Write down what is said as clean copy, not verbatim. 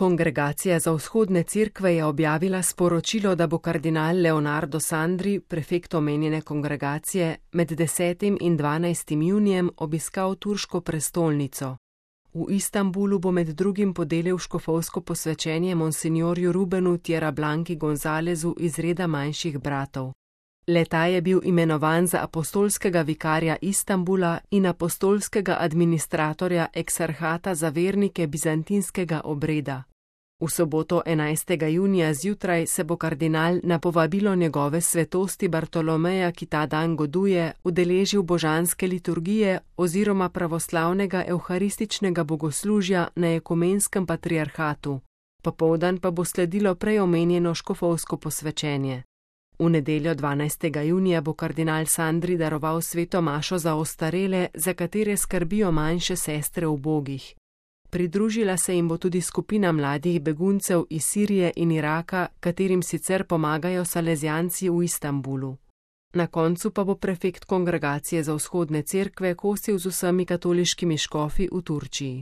Kongregacija za vzhodne cerkve je objavila sporočilo, da bo kardinal Leonardo Sandri, prefekt omenjene kongregacije, med 10. in 12. junijem obiskal turško prestolnico. V Istanbulu bo med drugim podelil škofovsko posvečenje monsinjorju Rubenu Tjerablanki Gonzalezu iz reda manjših bratov. Le-ta je bil imenovan za apostolskega vikarja Istanbula in apostolskega administratorja eksarhata za vernike bizantinskega obreda. V soboto 11. junija zjutraj se bo kardinal na povabilo njegove svetosti Bartolomeja, ki ta dan goduje, udeležil božanske liturgije oziroma pravoslavnega evharističnega bogoslužja na ekumenskem patriarhatu. Popoldan pa bo sledilo prej omenjeno škofovsko posvečenje. V nedeljo 12. junija bo kardinal Sandri daroval sveto mašo za ostarele, za katere skrbijo manjše sestre ubogih. Pridružila se jim bo tudi skupina mladih beguncev iz Sirije in Iraka, katerim sicer pomagajo salezijanci v Istanbulu. Na koncu pa bo prefekt kongregacije za vzhodne cerkve kosil z vsemi katoliškimi škofi v Turčiji.